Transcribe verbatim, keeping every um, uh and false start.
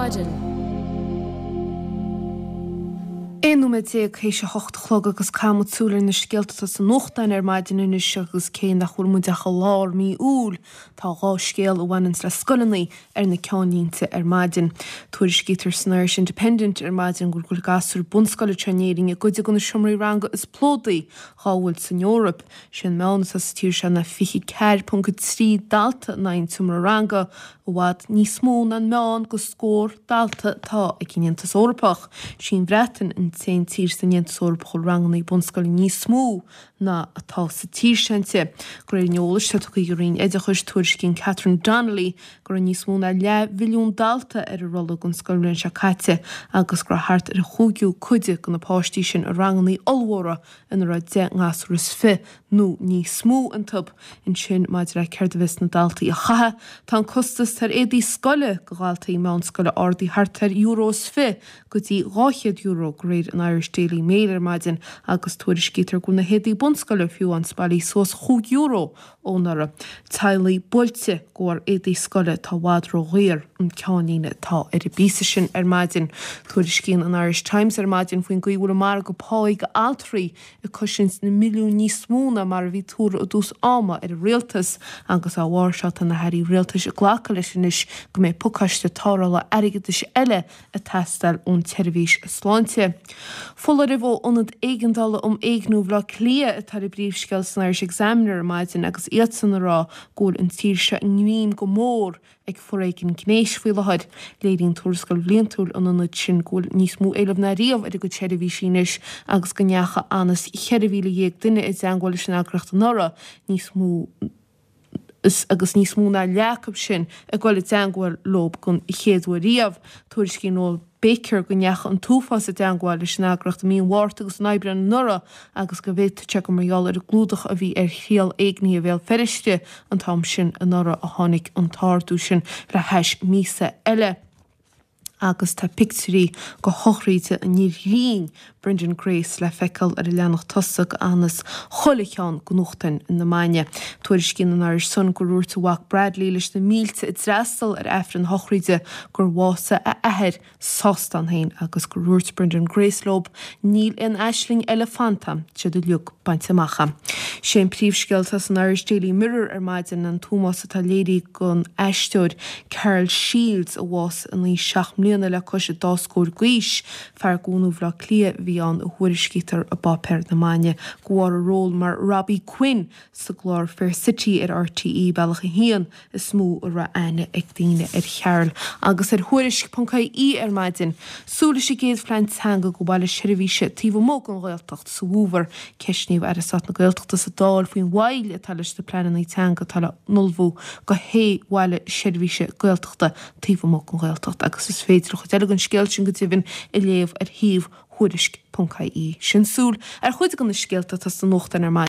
Maidin. Aon nóiméad déag théis a hocht a chlog agus caithfidh muid súil ar na scéalta atá sna nuachtáin ar maidin anois agus cé nach bhfuil muid ach i lár mí Iúil, tá dhá scéal a bhaineanns le scoileanna ar na ceannlínte ar maidin. Tuairiscítear san Irish Independent ar maidin go bhfuil gasúir bunscoile anseo in Éirinn i gcuid de na seomraí ranga is plódaí dhá bhfuil san Eoraip. Sé an meán atá sa tír seo ná fiche ceathair ponc a trí dalta in aghaidh an tseomra ranga, i bhfad níos mó ná an meán de scór dalta atá ag an Aontas Eorpach. Sí an Bhreatain an t-aon tír san Aontas Eorpach a bhfuil ranganna bunscoile níos mó ná atá sa tír seo inti. De réir an eolais atá tugtha ag an Roinn Oideachais, tuairiscíonn Catherine Donnelly go raibh níos mó ná leathmhilliún dalta ar an rolla don scoilbhliain seo caite agus go raibh thart ar an chúigiú cuid de na páistí sin i ranganna ollmhóra ina raibh deich ngasúr is fiche nó níos mó iontu. Ansin, maidir le céard a bheas na daltaí a chaitheamh, tá an costas ar éadaí scoile do dhaltaí meánscoile ardaithe thart ar euro is fiche go dtí dhá chéad euro, de réir an Irish Daily Mail ar maidin, agus tuairiscítear go bhfuil na héadaí bunscoile fiú amháin spailithe suas chúig euro ó anuraidh. Teaghlaigh buailte de bharr éadaí scoile atá i bhfad ródhaor an ceannlíne atá ar an bpíosa sin ar maidin. Tuairiscíonn an Irish Times ar maidin faoin gcaoi a bhfuil an margadh páí d'altraí ag cosaint na milliúin níos mó ná mar a bhí tuartha i dtús ama ar an rialtas agus dá bharr seo tá na hairí rialtais ag glacadh leis anois go mbeidh pacáiste tarrthála airgeadais eile ag teastáil ón tseirbhís sláinte. Foláireamh ó Ionad Éigeandála um Éigniú Bhaile Átha Cliath atá ar an bpríomhscéal san Irish Examiner ar maidin agus iadsan ag rá go bhfuil an tír seo i ngreim go mór ag foréigean gnéis faoi láthair. Léiríonn tuarascáil bhliantúil an ionaid sin go bhfuil níos mó éilimh ná riamh ar a gcuid seirbhísí anois agus go ndeachaigh anuas cheithre mhíle dhéag duine i dteangmháil leis an eagraíocht anuraidh, níos mó agus níos mó ná leath acu sin ag dul i dteangmháil leo den chéad uair riamh. Tuairiscíonn Noel Baker go ndeachaigh an t-uafás i dteangmháil leis an eagraíocht i mí an Mhárta agus in Aibreán anuraidh agus go bhféadfadh sé gur mar gheall ar an gclúdach a bhí ar thriail éignithe Bhéal Feirste an t-am sin anuraidh a tháinig an t-ardú sin le hais míosa eile. Agus tá pictiúirí de shochraid an fhir ghrinn, Brendan Grace, le feiceáil ar an leathanach tosaigh anuas chuile cheann de nuachtáin na maidine. Tuairiscíonn an Irish Sun gur dhúirt a mhac Bradley leis na mílte a d'fhreastail ar Aifreann a shochraide gur bhásaigh a athair sásta ann féin agus gur dhúirt Brendan Grace leo níl aon aisling eile fanta a'm, tá siad uilig bainte amach a'm. Sé an príomhscéal atá san Irish Daily Mirror ar maidin an t-ómós atá léirithe don aisteoir Karl Shields a bhásaigh in aois seacht mbliana le cois an dá scór d'aois. Fear de bhunadh Bhaile Átha Cliath a bhí ann a thuairiscítear i bpáipéar na maidine de bharr a ról mar Robbie Quinn sa gclár Fair City ar RTÉ Bealach a hAon is mó a raibh aithne ag daoine ar Charl agus ar Thuairisc ponc ie ar maidin. Súil leis an gcéad phlean teanga do bhaile seirbhíse taobh amuigh den Ghaeltacht sa bhfómhar. Ceistníodh Aire Stáit na Gaeltachta sa Dáil faoin mhoill atá leis na pleananna teanga atá le n-ullmhú do shé bhaile seirbhíse Gaeltachta taobh amuigh den Ghaeltacht agus is féidir an chuid eile den scéal sin go deimhin a léamh ar shuíomh Thuairisc ponc ie. Sin súil ar chuid de na scéalta atá sna nuachtáin ar maidin.